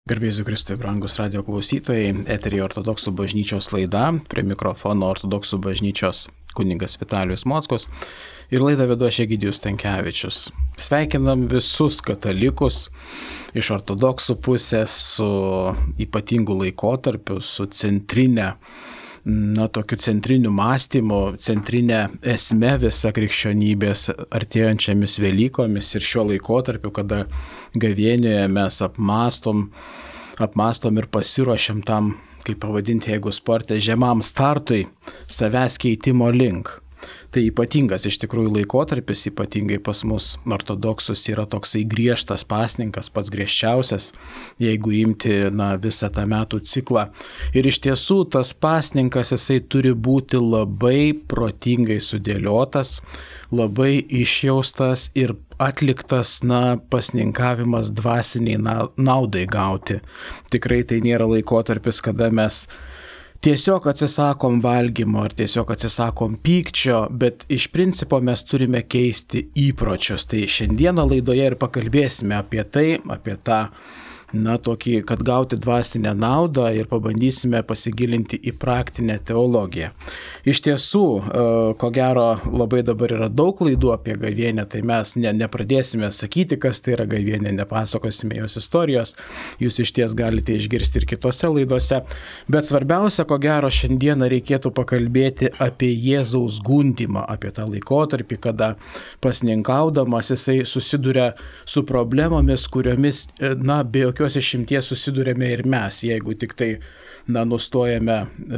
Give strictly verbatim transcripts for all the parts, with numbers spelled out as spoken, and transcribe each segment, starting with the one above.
Garbėsiu Kristui, brangus radio klausytojai, eteryje Ortodoksų bažnyčios laida, prie mikrofono Ortodoksų bažnyčios kunigas Vitalijus Mockus ir laidą vedu aš Egidijus Stankevičius. Sveikinam visus katalikus iš ortodoksų pusės su ypatingu laikotarpiu, su centrinė, na, tokiu centriniu mąstymu, centrinė esme visa krikščionybės artėjančiamis Velykomis ir šiuo laikotarpiu, kada gavėnioje mes apmastom, apmastom ir pasiruošiam tam, kaip pavadinti, jeigu sporte, žemam startui, savęs keitimo link. Tai ypatingas iš tikrųjų laikotarpis, ypatingai pas mus ortodoksus yra toksai griežtas pasninkas, pats griežčiausias, jeigu imti na, visą tą metų ciklą. Ir iš tiesų tas pasninkas jisai turi būti labai protingai sudėliotas, labai išjaustas ir atliktas na, pasninkavimas dvasiniai naudai gauti. Tikrai tai nėra laikotarpis, kada mes tiesiog atsisakom valgymo ar tiesiog atsisakom pykčio, bet iš principo mes turime keisti įpročius. Tai šiandieną laidoje ir pakalbėsime apie tai, apie tą, na, tokį, kad gauti dvasinę naudą ir pabandysime pasigilinti į praktinę teologiją. Iš tiesų, ko gero, labai dabar yra daug laidų apie gavėnią, tai mes ne, nepradėsime sakyti, kas tai yra gavėnė, nepasakosime jos istorijos, jūs iš ties galite išgirsti ir kitose laidose, bet svarbiausia, ko gero, šiandieną reikėtų pakalbėti apie Jėzaus gundymą, apie tą laikotarpį, kada pasninkaudamas jisai susiduria su problemomis, kuriomis, na, be jokios jokios išimties susidurėme ir mes, jeigu tik tai na, nustojame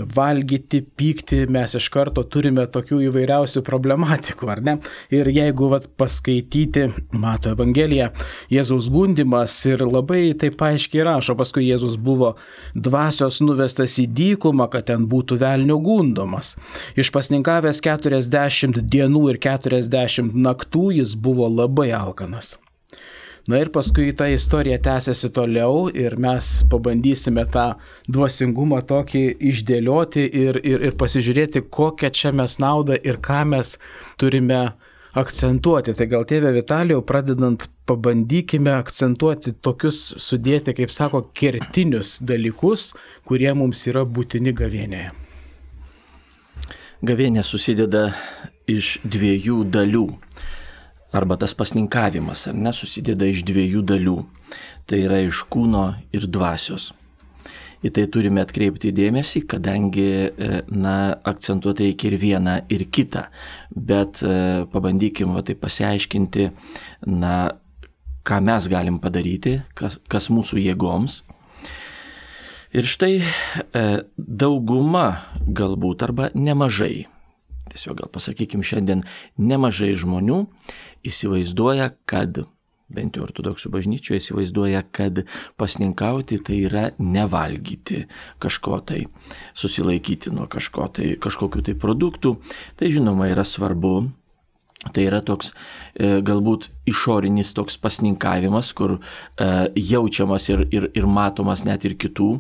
valgyti, pykti, mes iš karto turime tokių įvairiausių problematikų, ar ne? Ir jeigu vat, paskaityti Mato Evangeliją, Jėzaus gundymas ir labai taip aiškiai rašo, paskui Jėzus buvo dvasios nuvestas į dykumą, kad ten būtų velnio gundomas. Išpasninkavęs keturiasdešimt dienų ir keturiasdešimt naktų jis buvo labai alkanas. Na ir paskui ta istorija tęsiasi toliau ir mes pabandysime tą dvasingumą tokį išdėlioti ir, ir, ir pasižiūrėti, kokią čia mes naudą ir ką mes turime akcentuoti. Tai gal tėve Vitalijau, pradedant, pabandykime akcentuoti tokius, sudėti, kaip sako, kertinius dalykus, kurie mums yra būtini gavėnėje. Gavėnė susideda iš dviejų dalių. Arba tas pasninkavimas, ar ne, susideda iš dviejų dalių. Tai yra iš kūno ir dvasios. Į tai turime atkreipti dėmesį, kadangi, na, akcentuoti reikia ir vieną, ir kitą. Bet pabandykime va, tai pasiaiškinti, na, ką mes galim padaryti, kas, kas mūsų jėgoms. Ir štai dauguma galbūt arba nemažai. Tiesiog gal pasakykim šiandien, nemažai žmonių įsivaizduoja, kad, bent jau ortodoksų bažnyčioje įsivaizduoja, kad pasninkauti tai yra nevalgyti kažko tai, susilaikyti nuo kažko tai, kažkokių tai produktų. Tai žinoma yra svarbu. Tai yra toks e, galbūt išorinis toks pasninkavimas, kur e, jaučiamas ir, ir, ir matomas net ir kitų,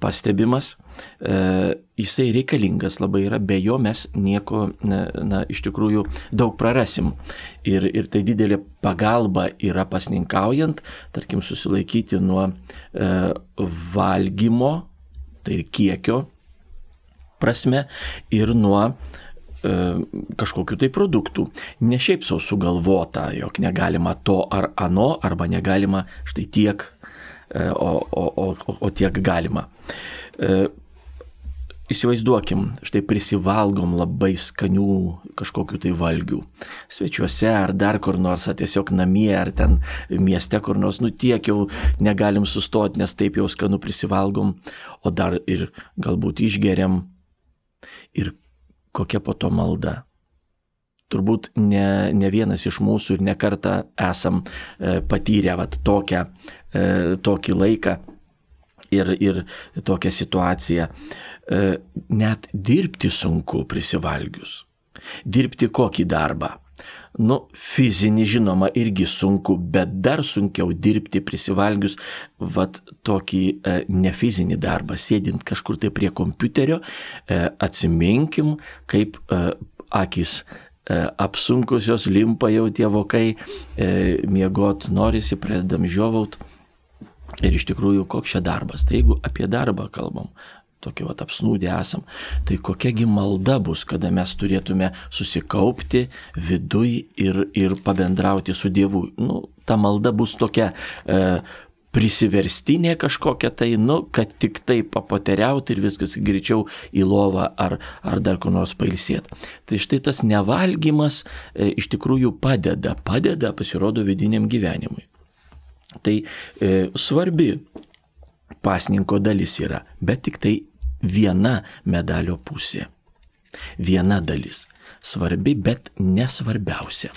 pastebimas. E, jisai reikalingas labai yra, be jo mes nieko, na, na, iš tikrųjų daug prarasim. Ir, ir tai didelė pagalba yra pasninkaujant, tarkim, susilaikyti nuo e, valgymo, tai ir kiekio prasme, ir nuo kažkokių tai produktų. Ne šiaip sau sugalvota, jog negalima to ar ano, arba negalima štai tiek, o, o, o, o tiek galima. Įsivaizduokim, štai prisivalgom labai skanių kažkokių tai valgių. Svečiuose ar dar kur nors, ar tiesiog namie, ar ten mieste kur nors, nu tiek jau negalim sustoti, nes taip jau skanu prisivalgom, o dar ir galbūt išgeriam ir kokia po to malda. Turbūt ne, ne vienas iš mūsų ir ne kartą esam e, patyrę vat, tokią, e, tokį laiką ir, ir tokią situaciją. E, net dirbti sunku prisivalgius. Dirbti kokį darbą? Nu, fizinį žinoma irgi sunku, bet dar sunkiau dirbti prisivalgius vat tokį e, nefizinį darbą, sėdint kažkur tai prie kompiuterio, e, atsiminkim, kaip e, akis e, apsunkusios, limpa jau tie vokai, e, miegot norisi, pradedam žiovaut. Ir iš tikrųjų, koks čia darbas? Tai jeigu apie darbą kalbam, tokie vat apsnūdę esam, tai kokiagi malda bus, kada mes turėtume susikaupti viduj ir, ir pabendrauti su Dievu. Nu, ta malda bus tokia e, prisiverstinė kažkokia tai, nu, kad tik tai papoteriauti ir viskas greičiau į lovą ar, ar dar kur nors pailsėti. Tai štai tas nevalgymas e, iš tikrųjų padeda, padeda pasirodo vidiniam gyvenimui. Tai e, svarbi pasninko dalis yra, bet tik tai viena medalio pusė. Viena dalis. Svarbi, bet nesvarbiausia.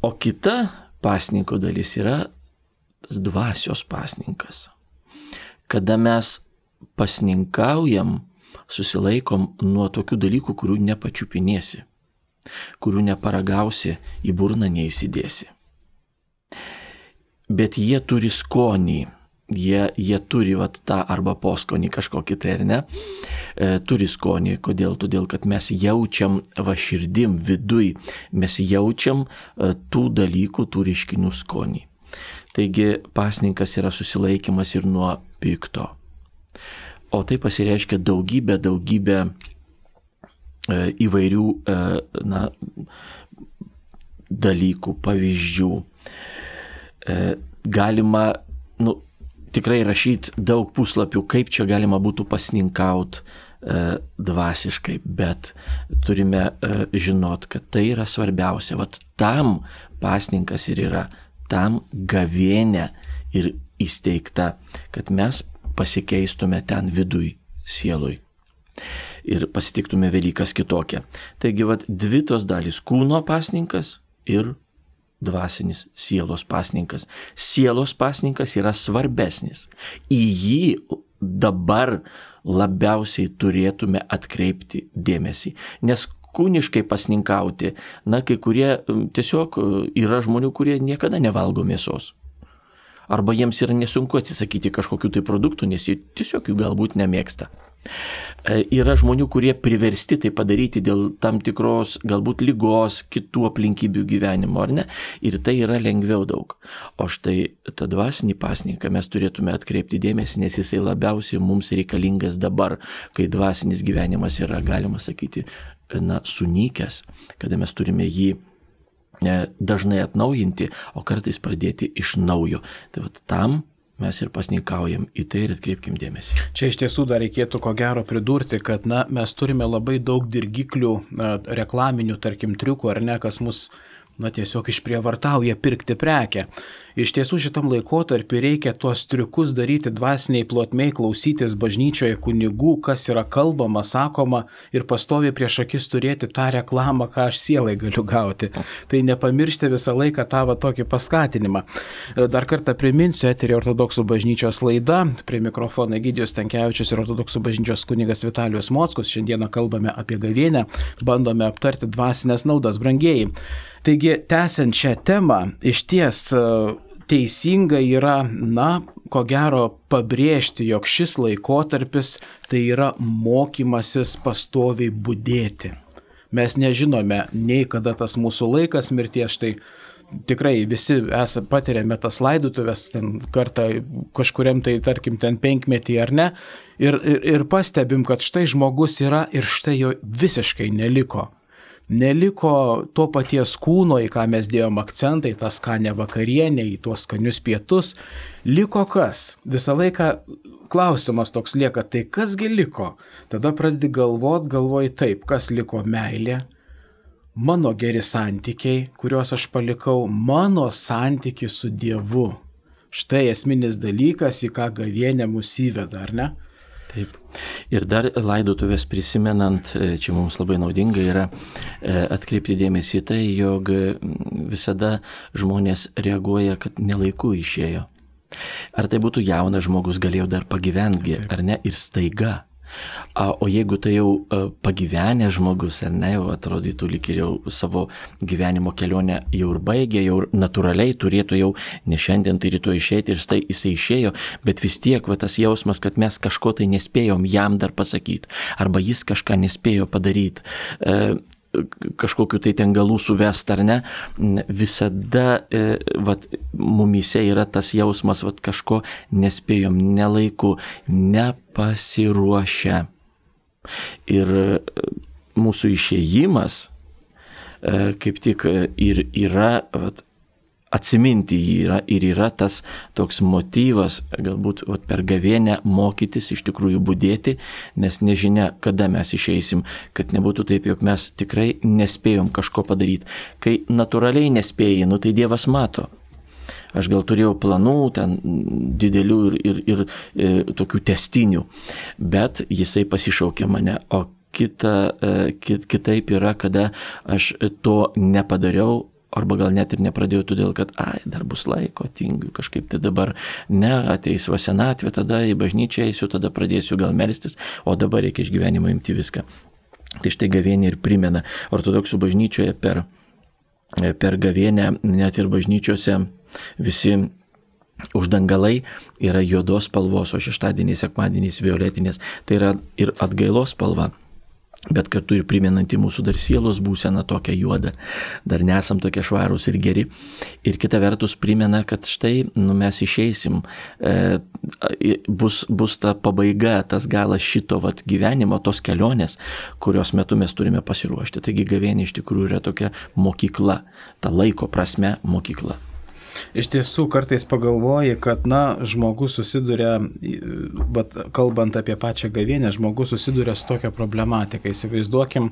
O kita pasninko dalis yra tas dvasios pasninkas. Kada mes pasninkaujam, susilaikom nuo tokių dalykų, kurių nepačiupinėsi, kurių neparagausi, į burną neįsidėsi. Bet jie turi skonį, jie, jie turi vat, tą arba poskonį kažkokį tai ar ne, e, turi skonį. Kodėl? Todėl, kad mes jaučiam va širdim, viduj, mes jaučiam e, tų dalykų, tų reiškinių skonį. Taigi pasninkas yra susilaikymas ir nuo pikto. O tai pasireiškia daugybę, daugybę e, įvairių e, na, dalykų, pavyzdžių. Galima, nu, tikrai rašyti daug puslapių, kaip čia galima būtų pasninkauti e, dvasiškai, bet turime e, žinot, kad tai yra svarbiausia. Vat tam pasninkas ir yra, tam gavėnia ir įsteigta, kad mes pasikeistume ten viduj, sielui. Ir pasitiktume Velykas kitokią. Taigi, vat dvi tos dalys - kūno pasninkas ir dvasinis sielos pasninkas. Sielos pasninkas yra svarbesnis. Į jį dabar labiausiai turėtume atkreipti dėmesį. Nes kūniškai pasninkauti, na, kai kurie tiesiog yra žmonių, kurie niekada nevalgo mėsos. Arba jiems yra nesunku atsisakyti kažkokių tai produktų, nes jie tiesiog jų galbūt nemėgsta. Yra žmonių, kurie priversti tai padaryti dėl tam tikros galbūt lygos, kitų aplinkybių gyvenimo, ar ne? Ir tai yra lengviau daug. O štai tą dvasinį pasninką mes turėtume atkreipti dėmesį, nes jisai labiausiai mums reikalingas dabar, kai dvasinis gyvenimas yra, galima sakyti, na, sunykęs, kada mes turime jį dažnai atnaujinti, o kartais pradėti iš naujo. Tai vat tam mes ir pasninkaujam, į tai ir atkreipkim dėmesį. Čia iš tiesų dar reikėtų ko gero pridurti, kad na, mes turime labai daug dirgiklių, reklaminių, tarkim, triukų, ar ne, kas mus na, tiesiog išprievartauja pirkti prekę. Iš tiesų šitam laikotarpiu reikia tuos triukus daryti dvasiniai plotmei, klausytis bažnyčioje kunigų, kas yra kalbama, sakoma ir pastoviai prieš akis turėti tą reklamą, ką aš sielai galiu gauti. Tai nepamiršti visą laiką tą va, tokį paskatinimą. Dar kartą priminsiu, eterį Ortodoksų bažnyčios laida, prie mikrofono Egidijus Stankevičius ir Ortodoksų bažnyčios kunigas Vitalijus Mockus. Šiandieną kalbame apie gavėnią, bandome aptarti dvasinės naudas, brangieji. Taigi, tęsiant šią temą, iš ties teisinga yra, na, ko gero pabrėžti, jog šis laikotarpis tai yra mokymasis pastoviai budėti. Mes nežinome nei kada tas mūsų laikas mirties, štai tikrai visi esame patiriame tas laidotuvės ten kartą kažkuriam tai, tarkim, ten penkmetį ar ne, ir, ir, ir pastebim, kad štai žmogus yra ir štai jo visiškai neliko. Neliko to paties kūno, į ką mes dėjom akcentą, į tą skanę vakarienę, į tuos skanius pietus. Liko kas? Visą laiką klausimas toks lieka, tai kasgi liko? Tada pradedi galvot, galvoji taip, kas liko meilė, mano geri santykiai, kuriuos aš palikau, mano santykiai su Dievu. Štai esminis dalykas, į ką gavėnė mus įveda, ar ne? Taip. Ir dar laidotuvės prisimenant, čia mums labai naudinga yra atkreipti dėmesį į tai, jog visada žmonės reaguoja, kad nelaiku išėjo. Ar tai būtų jaunas žmogus, galėjo dar pagyventi, ar ne, ir staiga. O jeigu tai jau pagyvenę žmogus, ar ne, jau atrodytų lyg ir jau savo gyvenimo kelionę jau ir baigė, jau natūraliai turėtų jau ne šiandien, tai rytoj išeiti ir štai jisai išėjo, bet vis tiek va, tas jausmas, kad mes kažko tai nespėjom jam dar pasakyti, arba jis kažką nespėjo padaryti. kažkokiu tai ten galų suvest ar ne, visada vat, mumyse yra tas jausmas, vat, kažko nespėjom, nelaiku, nepasiruošę. Ir mūsų išėjimas kaip tik ir yra vat, atsiminti jį yra, ir yra tas toks motyvas, galbūt vat, per gavėnią mokytis, iš tikrųjų budėti, nes nežinia, kada mes išeisim, kad nebūtų taip, jog mes tikrai nespėjom kažko padaryti. Kai natūraliai nespėjai, nu tai Dievas mato. Aš gal turėjau planų, ten didelių ir, ir, ir, ir tokių testinių, bet jisai pasišaukė mane, o kita, kit, kitaip yra, kada aš to nepadariau, arba gal net ir nepradėjau todėl, kad ai, dar bus laiko, tingiu kažkaip tai dabar, ne, ateis va senatvė, tada į bažnyčią eisiu, tada pradėsiu gal melstis, o dabar reikia iš gyvenimo imti viską. Tai štai gavėnė ir primena. Ortodoksų bažnyčioje per, per gavėnę, net ir bažnyčiose visi uždangalai yra juodos spalvos, o šeštadieniais, sekmadieniais violetinės. Tai yra ir atgailos spalva, bet kartu ir primenanti mūsų dar sielos būseną tokią juodą, dar nesam tokie švarūs ir geri. Ir kita vertus primena, kad štai nu, mes išeisim, e, bus, bus ta pabaiga, tas galas šito vat, gyvenimo, tos kelionės, kurios metu mes turime pasiruošti. Taigi gavėnė iš tikrųjų yra tokia mokykla, ta laiko prasme mokykla. Iš tiesų, kartais pagalvoji, kad, na, žmogus susiduria, bet kalbant apie pačią gavėnę, žmogus susiduria su tokia problematika. Įsivaizduokim,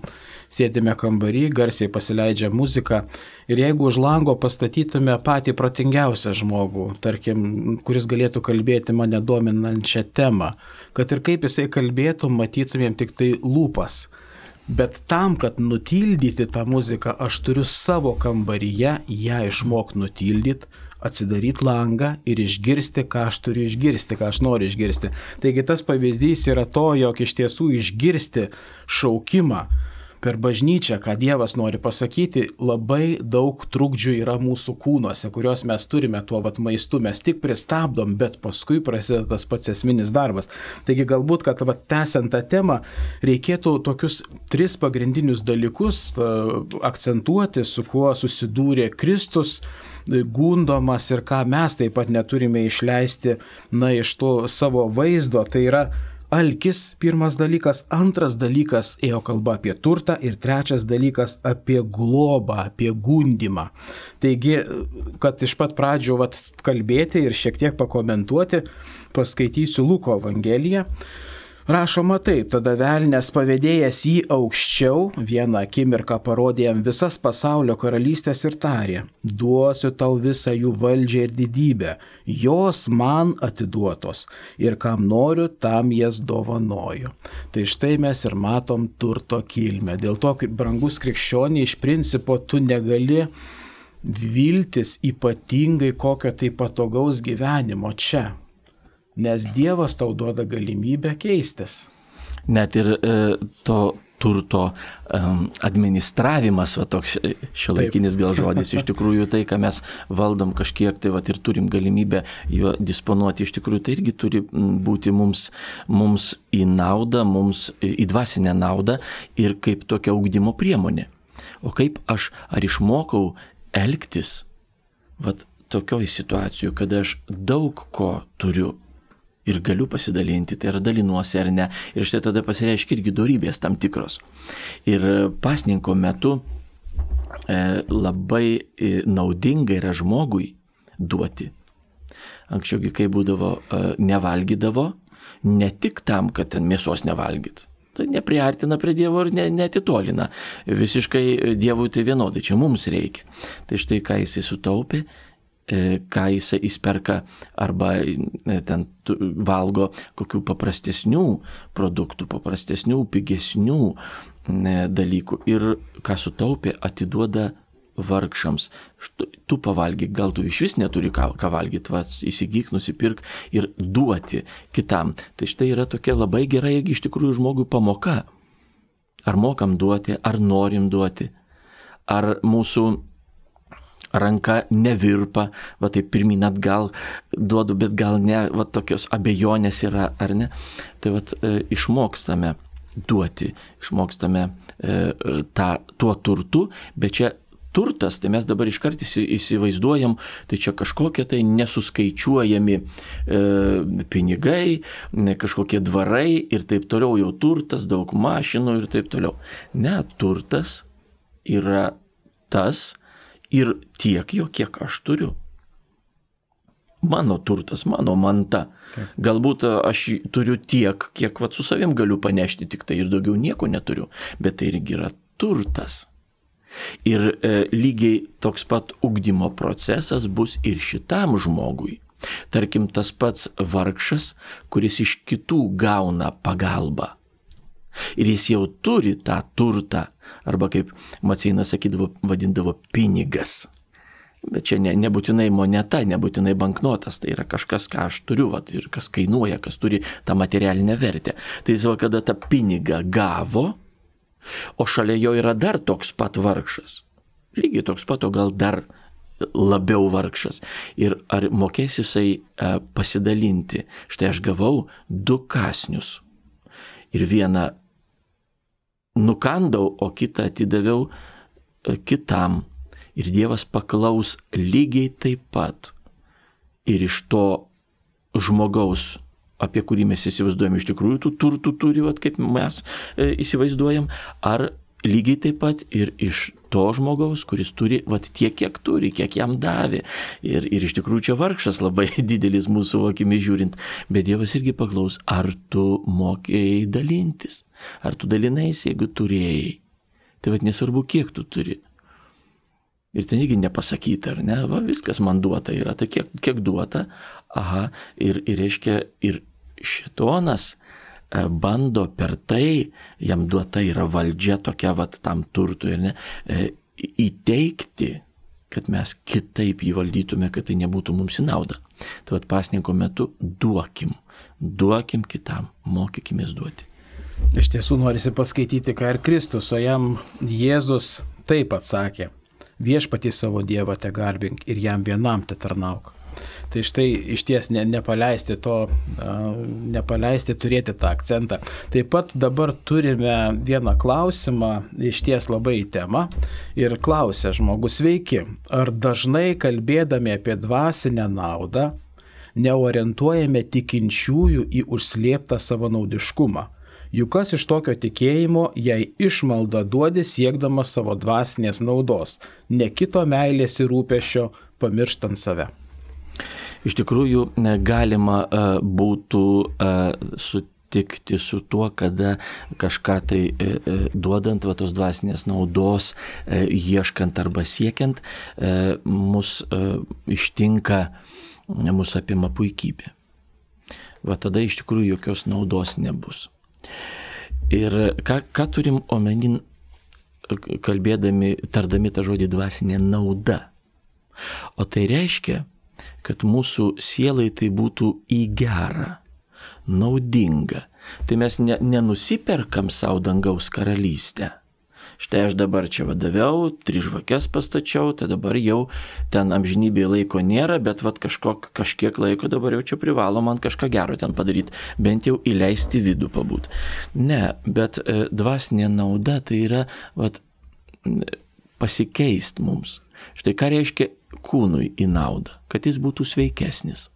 sėdime kambarį, garsiai pasileidžia muzika ir jeigu už lango pastatytume patį protingiausią žmogų, tarkim, kuris galėtų kalbėti mane dominančią temą, kad ir kaip jisai kalbėtų, matytumėm tik tai lūpas. Bet tam, kad nutildyti tą muziką, aš turiu savo kambaryje ją išmok nutildyti, atsidaryti langą ir išgirsti, ką aš turiu išgirsti, ką aš noriu išgirsti. Taigi tas pavyzdys yra to, jog iš tiesų išgirsti šaukimą per bažnyčią, ką Dievas nori pasakyti, labai daug trukdžių yra mūsų kūnuose, kurios mes turime tuo vat maistu, mes tik pristabdom, bet paskui prasideda tas pats esminis darbas. Taigi galbūt, kad vat tęsiant tą temą, reikėtų tokius tris pagrindinius dalykus akcentuoti, su kuo susidūrė Kristus, gundomas ir ką mes taip pat neturime išleisti, na, iš to savo vaizdo, tai yra alkis, pirmas dalykas, antras dalykas ėjo kalba apie turtą ir trečias dalykas apie globą, apie gundymą. Taigi, kad iš pat pradžių vat, kalbėti ir šiek tiek pakomentuoti, paskaitysiu Luko Evangeliją. Rašoma taip, tada velnias pavedėjęs jį aukščiau, vieną akimirką parodė jam visas pasaulio karalystės ir tarė, duosiu tau visą jų valdžią ir didybę, jos man atiduotos ir kam noriu, tam jas dovanoju. Tai štai mes ir matom turto kilmę. Dėl to, brangus krikščionė, iš principo tu negali viltis ypatingai kokio tai patogaus gyvenimo čia. Nes Dievas tau duoda galimybę keistis. Net ir e, to turto um, administravimas, va toks šiuolaikinis gal žodis, iš tikrųjų tai, ką mes valdom kažkiek, tai va ir turim galimybę juo disponuoti, iš tikrųjų tai irgi turi būti mums, mums į naudą, mums į dvasinę naudą ir kaip tokia ugdymo priemonė. O kaip aš ar išmokau elgtis, va tokioj situacijų, kada aš daug ko turiu, ir galiu pasidalinti, tai ar dalinuosi ar ne. Ir štai tada pasireiškia irgi dorybės tam tikros. Ir pasninko metu e, labai e, naudinga yra žmogui duoti. Anksčiaugi, kai būdavo, e, nevalgydavo, ne tik tam, kad ten mėsos nevalgyt. Tai nepriartina prie Dievo ir ne, neatitolina. Visiškai Dievui tai vienodai, čia mums reikia. Tai štai ką jisai sutaupė, ką jisai įsperka arba ten valgo kokių paprastesnių produktų, paprastesnių, pigesnių dalykų. Ir ką sutaupė, atiduoda vargšams. Tu pavalgyk, gal tu iš vis neturi ką, ką valgyti, vas, įsigyk, nusipirk ir duoti kitam. Tai štai yra tokia labai gera irgi iš tikrųjų žmogui pamoka. Ar mokam duoti, ar norim duoti, ar mūsų ranka nevirpa, va taip pirmin atgal duodu, bet gal ne, va tokios abejonės yra, ar ne. Tai va e, išmokstame duoti, išmokstame e, tą, tuo turtu, bet čia turtas, tai mes dabar iškart įsivaizduojam, tai čia kažkokie tai nesuskaičiuojami e, pinigai, ne, kažkokie dvarai ir taip toliau, jau turtas, daug mašinų ir taip toliau. Ne, turtas yra tas ir tiek jo, kiek aš turiu. Mano turtas, mano manta. Taip. Galbūt aš turiu tiek, kiek vat, su savim galiu panešti, tik tai ir daugiau nieko neturiu, bet tai irgi yra turtas. Ir e, lygiai toks pat ugdymo procesas bus ir šitam žmogui. Tarkim, tas pats vargšas, kuris iš kitų gauna pagalbą. Ir jis jau turi tą turtą, arba kaip Maceinas sakydavo, vadindavo pinigas. Bet čia ne, nebūtinai moneta, nebūtinai banknotas, tai yra kažkas, ką aš turiu, vat, ir kas kainuoja, kas turi tą materialinę vertę. Tai jis va, kada tą pinigą gavo, o šalia jo yra dar toks pat vargšas. Lygiai toks pat, o gal dar labiau vargšas. Ir ar mokės jisai e, pasidalinti? Štai aš gavau du kąsnius. Ir vieną nukandau, o kitą atidaviau e, kitam. Ir Dievas paklaus lygiai taip pat. Ir iš to žmogaus, apie kurį mes įsivaizduojam, iš tikrųjų tų turtų turi, vat, kaip mes e, įsivaizduojam, ar lygiai taip pat ir iš to žmogaus, kuris turi vat, tiek, kiek turi, kiek jam davė. Ir, ir iš tikrųjų čia vargšas labai didelis mūsų akimis žiūrint. Bet Dievas irgi paklaus, ar tu mokėjai dalintis, ar tu dalinais, jeigu turėjai. Tai vat nesvarbu, kiek tu turi. Ir ten irgi nepasakyta, ar ne, va, viskas man duota yra, tai kiek, kiek duota, aha, ir, ir reiškia, ir šėtonas e, bando per tai, jam duota yra valdžia tokia, vat, tam turtui, ir ne, e, įteikti, kad mes kitaip jį valdytume, kad tai nebūtų mums į naudą. Tai vat pasninko metu duokim, duokim kitam, mokykimės duoti. Iš tiesų norisi paskaityti, ką ir Kristus, o jam Jėzus taip atsakė. Viešpatį savo Dievą te garbink ir jam vienam te tarnauk. Tai štai iš ties ne, nepaleisti to, nepaleisti turėti tą akcentą. Taip pat dabar turime vieną klausimą, iš ties labai į temą. Ir klausia žmogus, sveiki, ar dažnai kalbėdami apie dvasinę naudą neorientuojame tikinčiųjų į užslėptą savanaudiškumą? Juk kas iš tokio tikėjimo, jei išmaldą duodi siekdamas savo dvasinės naudos, ne kito meilės ir rūpesčio, pamirštant save. Iš tikrųjų, galima būtų sutikti su tuo, kada kažką tai duodant, va, tos dvasinės naudos, ieškant arba siekiant, mus ištinka, mus apima puikybė. Va tada iš tikrųjų jokios naudos nebus. Ir ką, ką turim omenin, kalbėdami, tardami tą žodį dvasinė nauda? O tai reiškia, kad mūsų sielai tai būtų į gerą, naudinga. Tai mes ne, nenusiperkam savo dangaus karalystę. Štai aš dabar čia vadaviau, tris žvakes pastačiau, tai dabar jau ten amžinybėje laiko nėra, bet vat kažkok, kažkiek laiko dabar jau čia privalo man kažką gero ten padaryti, bent jau įleisti vidų pabūt. Ne, bet e, dvasinė nauda tai yra vat, pasikeist mums. Štai ką reiškia kūnui į naudą, kad jis būtų sveikesnis.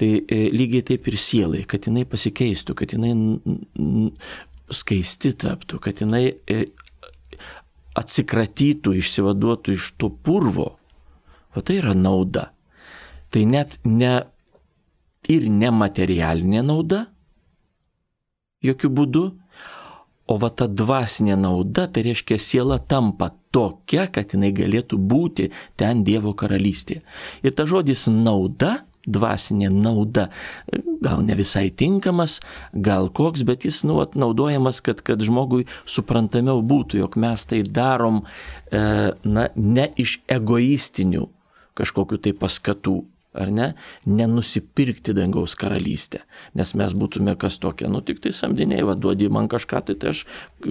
Tai e, lygiai taip ir sielai, kad jinai pasikeistų, kad jinai n, n, skaisti taptų, kad jinai atsikratytų, išsivaduotų iš to purvo. O tai yra nauda. Tai net ne ir nematerialinė nauda, jokių būdų, o va ta dvasinė nauda, tai reiškia siela tampa tokia, kad jinai galėtų būti ten Dievo karalystėje. Ir ta žodis nauda, dvasinė nauda, gal ne visai tinkamas, gal koks, bet jis nu, naudojamas, kad, kad žmogui suprantamiau būtų, jog mes tai darom e, na, ne iš egoistinių kažkokių tai paskatų, ar ne, nenusipirkti dangaus karalystę, nes mes būtume kas tokie, nu tik tai samdiniai, va, duodi man kažką, tai, tai aš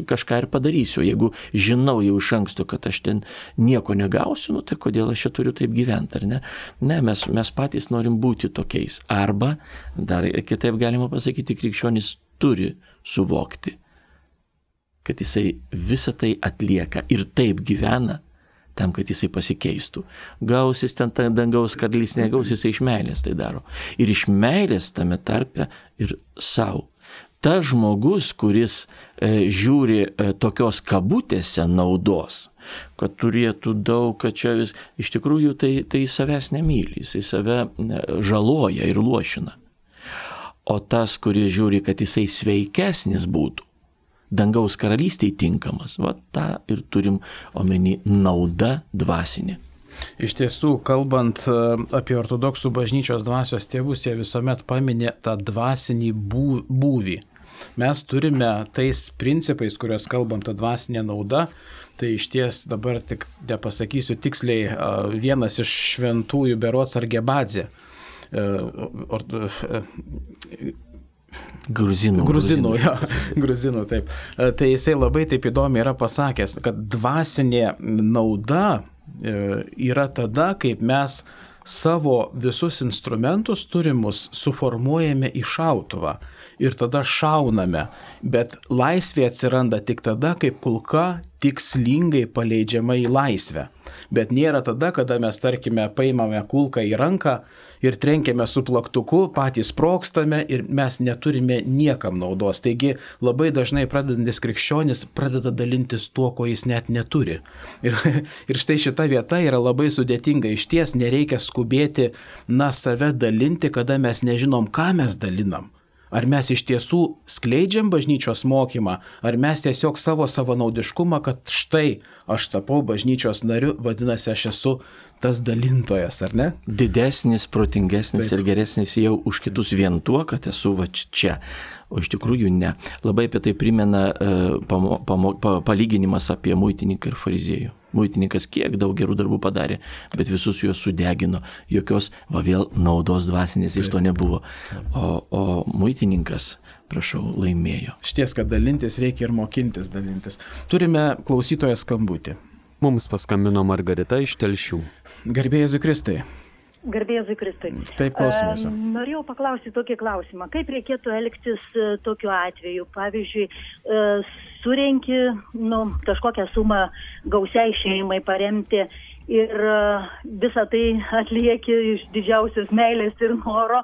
kažką ir padarysiu. Jeigu žinau jau iš anksto, kad aš ten nieko negausiu, nu tai kodėl aš čia turiu taip gyventi, ar ne? Ne, mes, mes patys norim būti tokiais. Arba, dar kitaip galima pasakyti, krikščionis turi suvokti, kad jisai visą tai atlieka ir taip gyvena, tam, kad jisai pasikeistų. Gausis ten dangaus karalystė, negaus, jisai iš meilės tai daro. Ir iš meilės tame tarpe ir savo. Ta žmogus, kuris e, žiūri e, tokios kabutėse naudos, kad turėtų daug, kad čia vis, iš tikrųjų tai, tai savęs nemyli, jisai save žaloja ir lošina. O tas, kuris žiūri, kad jisai sveikesnis būtų, dangaus karalystėje tinkamas. Va tą ir turim omeny nauda dvasinė. Iš tiesų, kalbant apie ortodoksų bažnyčios dvasios tėvus, jie visuomet paminė tą dvasinį būvį. Mes turime tais principais, kuriuos kalbam, tą dvasinę naudą, tai iš ties dabar tik nepasakysiu tiksliai, vienas iš šventųjų berods Argebadzė. Gruzinų. Gruzinų, jo, gruzinų, taip. Tai jisai labai taip įdomiai yra pasakęs, kad dvasinė nauda yra tada, kaip mes savo visus instrumentus turimus suformuojame į šautuvą ir tada šauname, bet laisvė atsiranda tik tada, kaip kulka tikslingai paleidžiama į laisvę. Bet nėra tada, kada mes, tarkime, paimame kulką į ranką ir trenkiame su plaktuku, patys sprogstame ir mes neturime niekam naudos. Taigi labai dažnai pradedantis krikščionis pradeda dalintis tuo, ko jis net neturi. Ir, ir štai šita vieta yra labai sudėtinga. Iš ties nereikia skubėti, na, save dalinti, kada mes nežinom, ką mes dalinam. Ar mes iš tiesų skleidžiam bažnyčios mokymą, ar mes tiesiog savo savanaudiškumą, kad štai aš tapau bažnyčios nariu, vadinasi, aš esu tas dalintojas, ar ne? Didesnis, protingesnis Taip. Ir geresnis jau už kitus vien tuo, kad esu va čia. O iš tikrųjų ne. Labai apie tai primena uh, pamo, pamo, pa, palyginimas apie muitininką ir fariziejų. Muitininkas kiek daug gerų darbų padarė, bet visus juos sudegino. Jokios, va vėl, naudos dvasinės iš to nebuvo. O, o muitininkas, prašau, laimėjo. Šties, kad dalintis reikia ir mokintis dalintis. Turime klausytoją skambutį. Mums paskambino Margarita iš Telšių. Garbė Jėzui Kristui. Garbė Jėzui Kristui. Taip, klausome jūsų. E, norėjau paklausyti tokį klausimą. Kaip reikėtų elgtis e, tokiu atveju? Pavyzdžiui, e, surenki nu, kažkokią sumą gausiai šeimai paremti ir e, visą tai atlieki iš didžiausios meilės ir noro.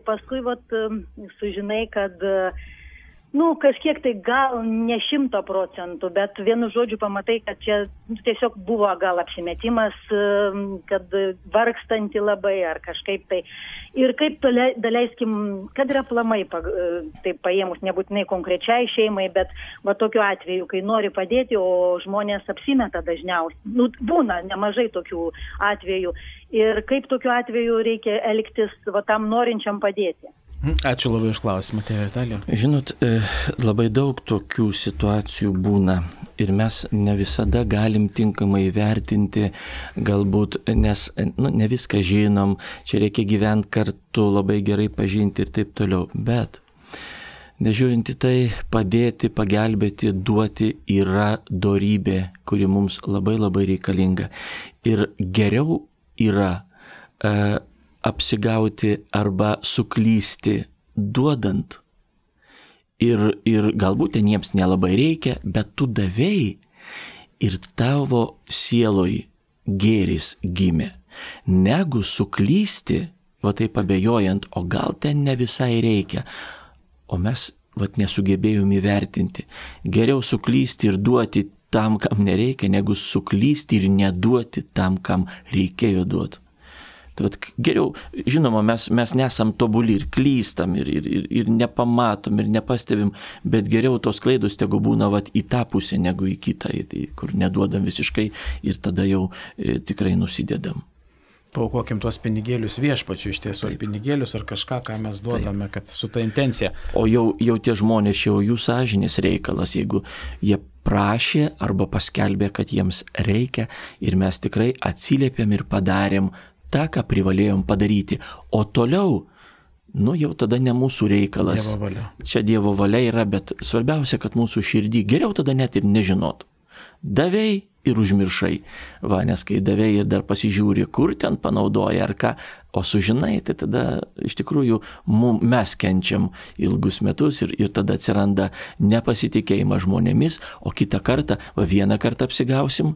Paskui vat, e, sužinai, kad e, nu, kažkiek tai gal ne šimto procentų, bet vienu žodžiu pamatai, kad čia tiesiog buvo gal apsimetimas, kad vargstanti labai ar kažkaip tai. Ir kaip daleiskim, kad yra aplamai, taip paėmus, nebūtinai konkrečiai šeimai, bet va tokiu atveju, kai nori padėti, o žmonės apsimeta dažniausiai. Nu, būna nemažai tokių atvejų. Ir kaip tokiu atveju reikia elgtis va tam norinčiam padėti. Ačiū labai už klausimą, tėvė Vitalija. Žinot, labai daug tokių situacijų būna ir mes ne visada galim tinkamai vertinti, galbūt, nes nu, ne viską žinom, čia reikia gyventi kartu, labai gerai pažinti ir taip toliau. Bet, nežiūrinti tai, padėti, pagelbėti, duoti yra dorybė, kuri mums labai labai reikalinga. Ir geriau yra uh, apsigauti arba suklysti duodant. Ir, ir galbūt ten jiems nelabai reikia, bet tu davėjai ir tavo sieloj gėris gimė. Negu suklysti, va taip abejojant, o gal ten ne visai reikia, o mes va nesugebėjom įvertinti. Geriau suklysti ir duoti tam, kam nereikia, negu suklysti ir neduoti tam, kam reikėjo duoti. Tai vat, geriau, žinoma, mes, mes nesam tobuli ir klystam, ir, ir, ir nepamatom, ir nepastebim, bet geriau tos klaidos tegu būna vat, į tą pusę, negu į kitą, kur neduodam visiškai ir tada jau e, tikrai nusidedam. Paukokim tuos pinigėlius viešpačiu, iš tiesų, ar pinigėlius, ar kažką, ką mes duodame, Taip. Kad su ta intencija. O jau, jau tie žmonės, jau jų sąžinės reikalas, jeigu jie prašė arba paskelbė, kad jiems reikia ir mes tikrai atsiliepėm ir padarėm tą, ką privalėjom padaryti. O toliau, nu jau tada ne mūsų reikalas. Dievo valia. Čia Dievo valia yra, bet svarbiausia, kad mūsų širdį geriau tada net ir nežinot. Davei ir užmiršai. Va, nes kai davei ir dar pasižiūri, kur ten panaudoja ar ką, o sužinai, tai tada iš tikrųjų mum, mes kenčiam ilgus metus ir, ir tada atsiranda nepasitikėjimas žmonėmis, o kitą kartą, va vieną kartą apsigausim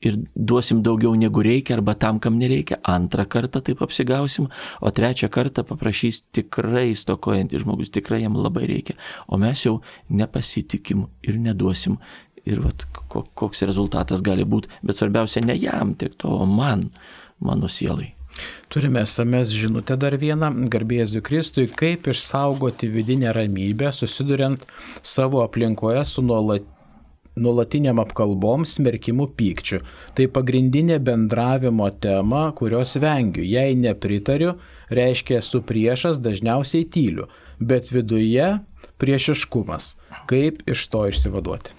ir duosim daugiau negu reikia arba tam, kam nereikia, antrą kartą taip apsigausim, o trečią kartą paprašys tikrai stokojantys žmogus, tikrai jam labai reikia, o mes jau nepasitikim ir neduosim. Ir vat, koks rezultatas gali būti, bet svarbiausia ne jam, tik to man, mano sielai. Turime es em es žinutę dar vieną, garbė Jėzui Kristui, kaip išsaugoti vidinę ramybę, susiduriant savo aplinkoje su nuolat, nuolatiniam apkalbom, smerkimu, pykčiu. Tai pagrindinė bendravimo tema, kurios vengiu. Jei nepritariu, reiškia esu priešas, dažniausiai tyliu, bet viduje priešiškumas. Kaip iš to išsivaduoti?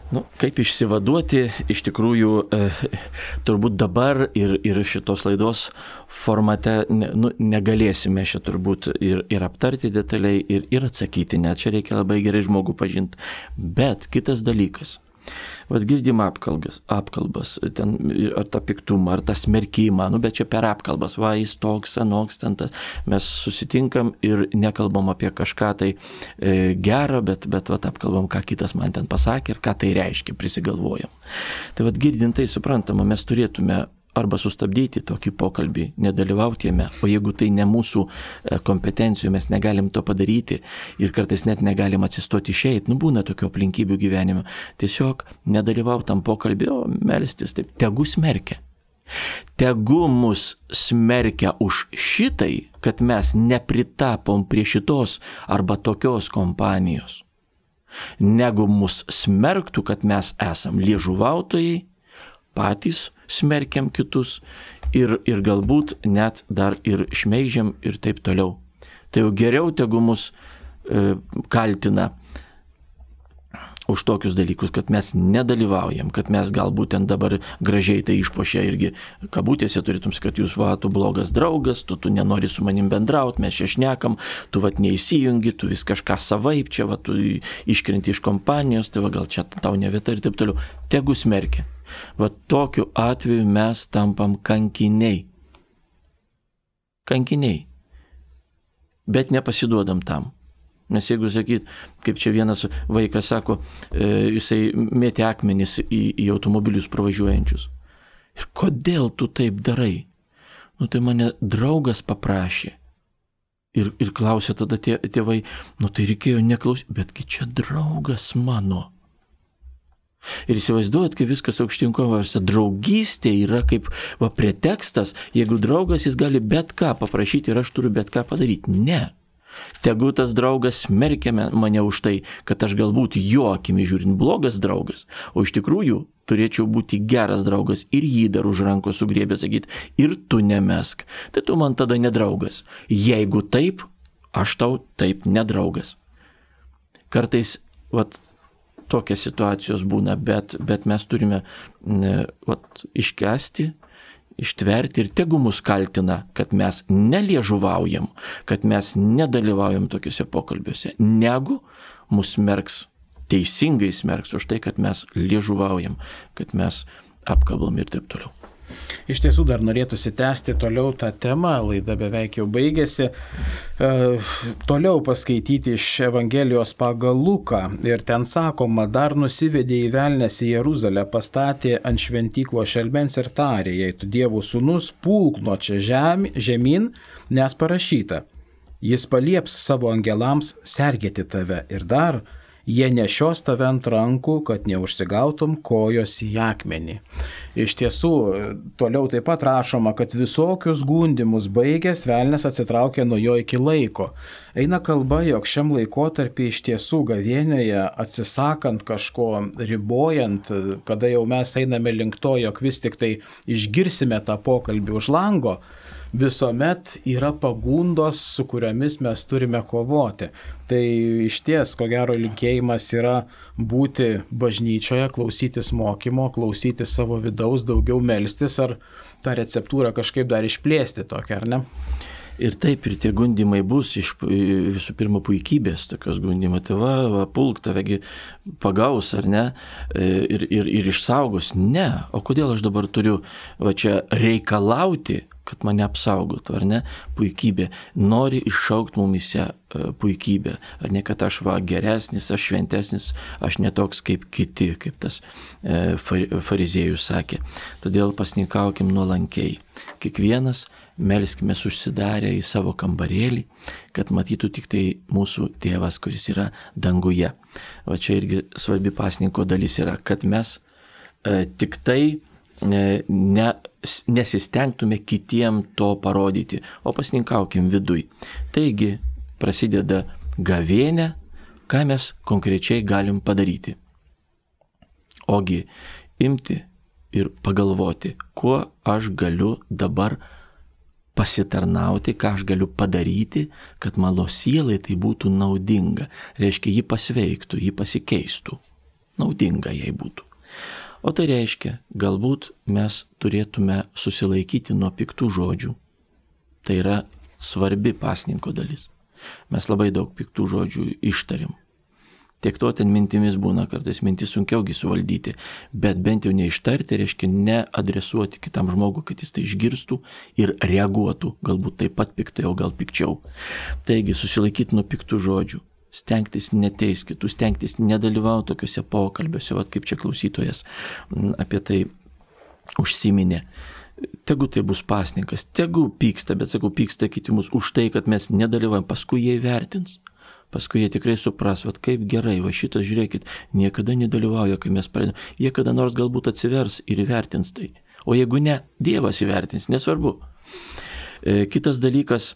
Nu, kaip išsivaduoti, iš tikrųjų, e, turbūt dabar ir, ir šitos laidos formate ne, nu, negalėsime šitą turbūt ir, ir aptarti detaliai, ir, ir atsakyti, net čia reikia labai gerai žmogų pažinti. Bet kitas dalykas. Vat girdim apkalbas, apkalbas ten, ar tą piktumą, ar tą smerkimą, nu, bet čia per apkalbas, va, jis toks, anoks, ten tas. Mes susitinkam ir nekalbam apie kažką tai e, gerą, bet, bet vat, apkalbam, ką kitas man ten pasakė ir ką tai reiškia, prisigalvojam. Tai vat girdint tai suprantama, mes turėtume arba sustabdyti tokį pokalbį, nedalyvauti jame, o jeigu tai ne mūsų kompetencijų, mes negalim to padaryti ir kartais net negalim atsistoti išeit, nu būna tokių aplinkybių gyvenime, tiesiog nedalyvauti tam pokalbį, o melstis, taip, tegu smerkia. Tegu mus smerkia už šitai, kad mes nepritapom prie šitos arba tokios kompanijos, negu mus smerktų, kad mes esam liežuvautojai, patys smerkiam kitus ir, ir galbūt net dar ir šmeižiam ir taip toliau. Tai jau geriau tegu mus e, kaltina už tokius dalykus, kad mes nedalyvaujam, kad mes galbūt ten dabar gražiai tai išpošia irgi kabutėse turėtum, kad jūs va, tu blogas draugas, tu, tu nenori su manim bendrauti, mes čia šnekam, tu vat neįsijungi, tu vis kažką savaip, čia va, tu iškrenti iš kompanijos, tai va gal čia tau ne vieta ir taip toliau. Tegu smerkia. Va tokiu atveju mes tampam kankiniai. Kankiniai. Bet nepasiduodam tam. Nes jeigu sakyt, kaip čia vienas vaikas sako, e, jisai mėtė akmenis į, į automobilius pravažiuojančius. Ir kodėl tu taip darai? Nu tai mane draugas paprašė. Ir, ir klausė tada tie, tėvai, nu tai reikėjo neklausyti, betgi čia draugas mano. Ir įsivaizduojat, kaip viskas aukštinkovose. Draugystė yra kaip va, pretekstas, jeigu draugas jis gali bet ką paprašyti ir aš turiu bet ką padaryti. Ne. Tegu tas draugas smerkia mane už tai, kad aš galbūt jo akimi žiūrint blogas draugas, o iš tikrųjų turėčiau būti geras draugas ir jį dar už rankos sugriebė sakyti, ir tu nemesk. Tai tu man tada nedraugas. Jeigu taip, aš tau taip nedraugas. Kartais, vat, tokios situacijos būna, bet, bet mes turime vat, iškesti, ištverti ir tegu mus kaltina, kad mes neliežuvaujam, kad mes nedalyvaujam tokiuose pokalbiuose, negu mus smerks, teisingai smerks už tai, kad mes liežuvaujam, kad mes apkalbam ir taip toliau. Iš tiesų dar norėtųsi tęsti toliau tą temą, laida beveik jau baigėsi. E, toliau paskaityti iš Evangelijos pagal Luką ir ten sakoma, dar nusivedė į velnes į Jeruzalę, pastatė ant šventyklo šelmens ir tarė, jei tu Dievo sūnus, pulk nuo čia žemė, žemyn, nes parašyta, jis palieps savo angelams sergėti tave ir dar jie nešios tave ant rankų, kad neužsigautum kojos į akmenį. Iš tiesų, toliau taip pat rašoma, kad visokius gundimus baigęs velnias atsitraukė nuo jo iki laiko. Eina kalba, jog šiam laikotarpį iš tiesų gavėnioje atsisakant kažko, ribojant, kada jau mes einame link to, jog vis tik tai išgirsime tą pokalbį už lango, visuomet yra pagundos, su kuriomis mes turime kovoti. Tai iš ties, ko gero, linkėjimas yra būti bažnyčioje, klausytis mokymo, klausytis savo vidaus, daugiau melstis, ar tą receptūrą kažkaip dar išplėsti tokią, ar ne? Ir taip, ir tie gundimai bus iš visų pirma puikybės, tokios gundimai, tai va, va pulk, tavegi pagaus, ar ne, ir, ir, ir išsaugos. Ne, o kodėl aš dabar turiu va čia reikalauti, kad mane apsaugotų, ar ne, puikybė. Nori iššaukti mumise puikybę, ar ne, kad aš va geresnis, aš šventesnis, aš netoks kaip kiti, kaip tas fariziejus sakė. Todėl pasninkaukim nuolankiai. Kiekvienas melskime užsidarę į savo kambarėlį, kad matytų tik tai mūsų tėvas, kuris yra danguje. O čia irgi svarbi pasninko dalis yra, kad mes e, tik tai e, ne, nesistengtume kitiem to parodyti, o pasninkaukim viduj. Taigi prasideda gavėnė, ką mes konkrečiai galim padaryti. Ogi imti ir pagalvoti, kuo aš galiu dabar pasitarnauti, ką aš galiu padaryti, kad mano sielai tai būtų naudinga. Reiškia, ji pasveiktų, ji pasikeistų. Naudinga jai būtų. O tai reiškia, galbūt mes turėtume susilaikyti nuo piktų žodžių. Tai yra svarbi pasninko dalis. Mes labai daug piktų žodžių ištariam. Tiek to ten mintimis būna, kartais mintis sunkiaugi suvaldyti, bet bent jau neištarti, reiškia neadresuoti kitam žmogui, kad jis tai išgirstų ir reaguotų, galbūt taip pat piktai, o gal pikčiau. Taigi susilaikyti nuo piktų žodžių, stengtis neteis kitų, stengtis nedalyvauti tokiuose pokalbiuose, vat kaip čia klausytojas apie tai užsiminė. Tegu tai bus pasninkas, tegu pyksta, bet sakau, pyksta kiti mus už tai, kad mes nedalyvaujam, paskui jie įvertins. Paskui jie tikrai supras, vat kaip gerai, va šitas, žiūrėkit, niekada nedalyvauja, kai mes pradedame. Jie kada nors galbūt atsivers ir įvertins tai. O jeigu ne, Dievas įvertins, nesvarbu. E, kitas dalykas,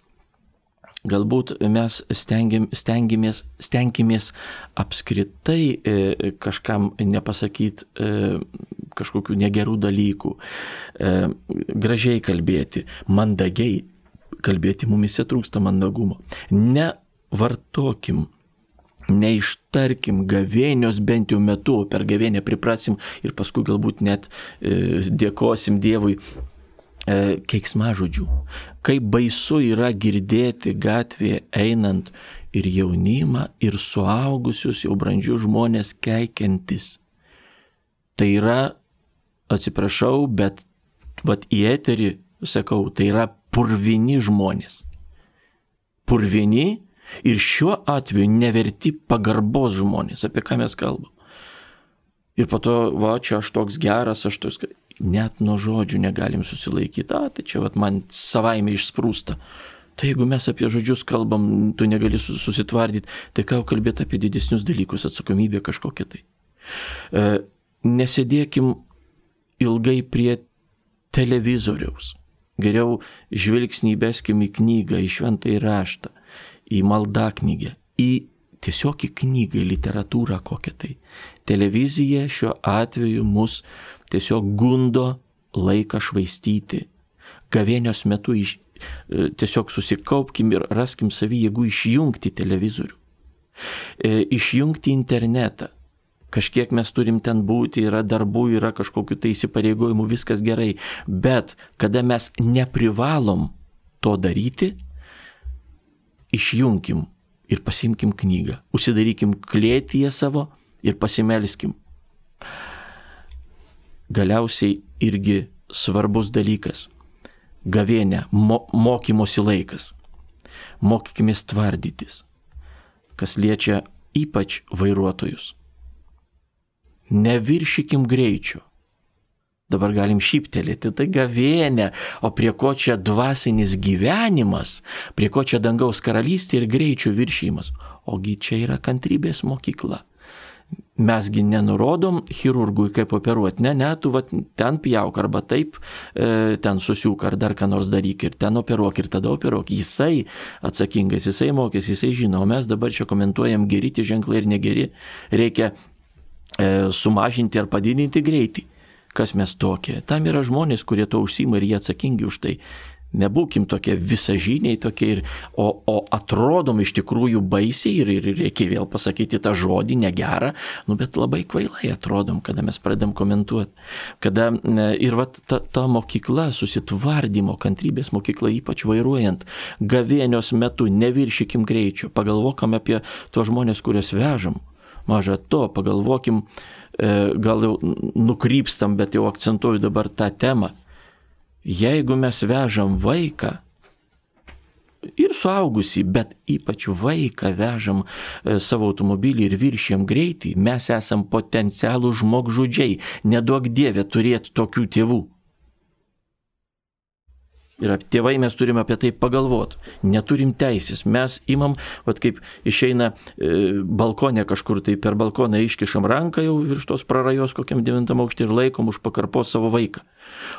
galbūt mes stengiam, stengiamės, stenkimės apskritai e, kažkam nepasakyti e, kažkokių negerų dalykų, e, gražiai kalbėti, mandagiai kalbėti, mumise trūksta mandagumo. Ne vartokim, neištarkim gavėnios bent jau metu, per gavėnę priprasim ir paskui galbūt net e, dėkosim Dievui e, keiksmažodžių. Kaip baisu yra girdėti gatvėje einant ir jaunimą, ir suaugusius, jau brandžius žmonės keikiantis. Tai yra, atsiprašau, bet vat į eterį sakau, tai yra purvini žmonės. Purvini ir šiuo atveju neverti pagarbos žmonės, apie ką mes kalbam. Ir po to, va, čia aš toks geras, aš toks, net nuo žodžių negalim susilaikyti, a, tai čia vat, man savaime išsprūsta. Tai jeigu mes apie žodžius kalbam, tu negali susitvardyti, tai ką kalbėti apie didesnius dalykus, atsakomybę kažkokią tai. E, nesėdėkim ilgai prie televizoriaus. Geriau žvilgsnį įbeskim į knygą, į šventąjį raštą, į maldaknygę, į tiesiog į knygą, į literatūrą kokią tai. Televizija šiuo atveju mus tiesiog gundo laiką švaistyti. Gavėnios metu iš, tiesiog susikaupkim ir raskim savį jėgų išjungti televizorių. E, išjungti internetą. Kažkiek mes turim ten būti, yra darbų, yra kažkokių tai įsipareigojimų, viskas gerai. Bet kada mes neprivalom to daryti, išjungkim ir pasimkim knygą. Užsidarykim klėtyje savo ir pasimelskim. Galiausiai irgi svarbus dalykas. Gavėnė, mo, mokymosi laikas. Mokykimės tvardytis. Kas liečia ypač vairuotojus. Neviršykim greičio. Dabar galim šyptelėti, tai gavėnė, o prie ko čia dvasinis gyvenimas, prie ko čia dangaus karalystė ir greičio viršymas. Ogi čia yra kantrybės mokykla. Mesgi nenurodom chirurgui, kaip operuoti. Ne, ne, tu va, ten pjauk arba taip, e, ten susiūk ar dar ką nors daryk ir ten operuok ir tada operuok. Jisai atsakingas, jisai mokės, jisai žino, o mes dabar čia komentuojam geri tie ženklai ir negeri. Reikia e, sumažinti ar padidinti greitį. Kas mes tokie? Tam yra žmonės, kurie to užsima ir jie atsakingi už tai. Nebūkim tokie visažiniai tokie, ir, o, o atrodom iš tikrųjų baisiai ir, ir reikia vėl pasakyti tą žodį negerą, nu, bet labai kvailai atrodom, kada mes pradedam komentuoti. Kada ir va, ta, ta mokykla, susitvardymo, kantrybės mokykla, ypač vairuojant, gavėnios metu, neviršykim greičio, pagalvokim apie tuos žmonės, kuriuos vežam. Maža to, pagalvokim, gal jau nukrypstam, bet jau akcentuoju dabar tą temą. Jeigu mes vežam vaiką, ir suaugusį, bet ypač vaiką vežam savo automobilį ir viršėm greitį, mes esam potencialų žmogžudžiai. Neduok Dieve turėti tokių tėvų. Ir tėvai mes turime apie tai pagalvoti. Neturim teisės. Mes imam, vat kaip išeina e, balkonė kažkur, tai per balkoną iškišam ranką jau virš tos prarajos kokiam devintam aukštį ir laikom už pakarpos savo vaiką.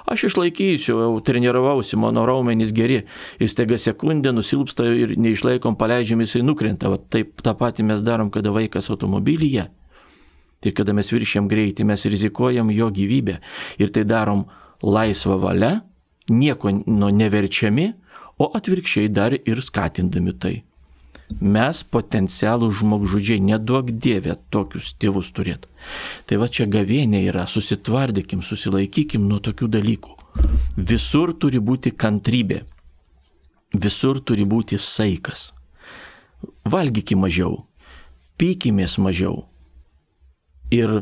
Aš išlaikysiu, jau treniravausi, mano raumenys geri. Ir staiga sekundę nusilpsta ir neišlaikom, paleidžiam, jisai nukrenta. Vat taip tą patį mes darom, kada vaikas automobilyje. Ir kada mes viršėm greitį, mes rizikuojam jo gyvybę. Ir tai darom laisvą valią, nieko nu, neverčiami, o atvirkščiai dar ir skatindami tai. Mes potencialų žmogžudžiai, neduok Dieve tokius tėvus turėti. Tai va čia gavėnė yra, susitvardykim, susilaikykim nuo tokių dalykų. Visur turi būti kantrybė, visur turi būti saikas. Valgykim mažiau, pykimės mažiau ir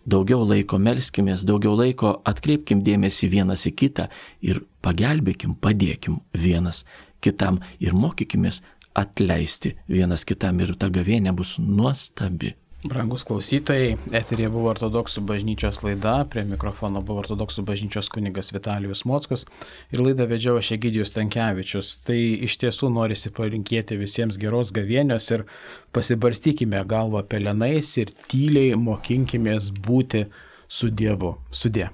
daugiau laiko melskimės, daugiau laiko atkreipkim dėmesį vienas į kitą ir pagelbėkim, padėkim vienas kitam ir mokykimės atleisti vienas kitam ir ta gavėnė bus nuostabi. Brangus klausytojai, eteryje buvo Ortodoksų bažnyčios laida, prie mikrofono buvo Ortodoksų bažnyčios kunigas Vitalijus Mockus ir laidą vedžiau aš Egidijus Stankevičius. Tai iš tiesų norisi palinkėti visiems geros gavėnios ir pasibarstykime galvą pelenais ir tyliai mokinkimės būti su Dievu. Sudie.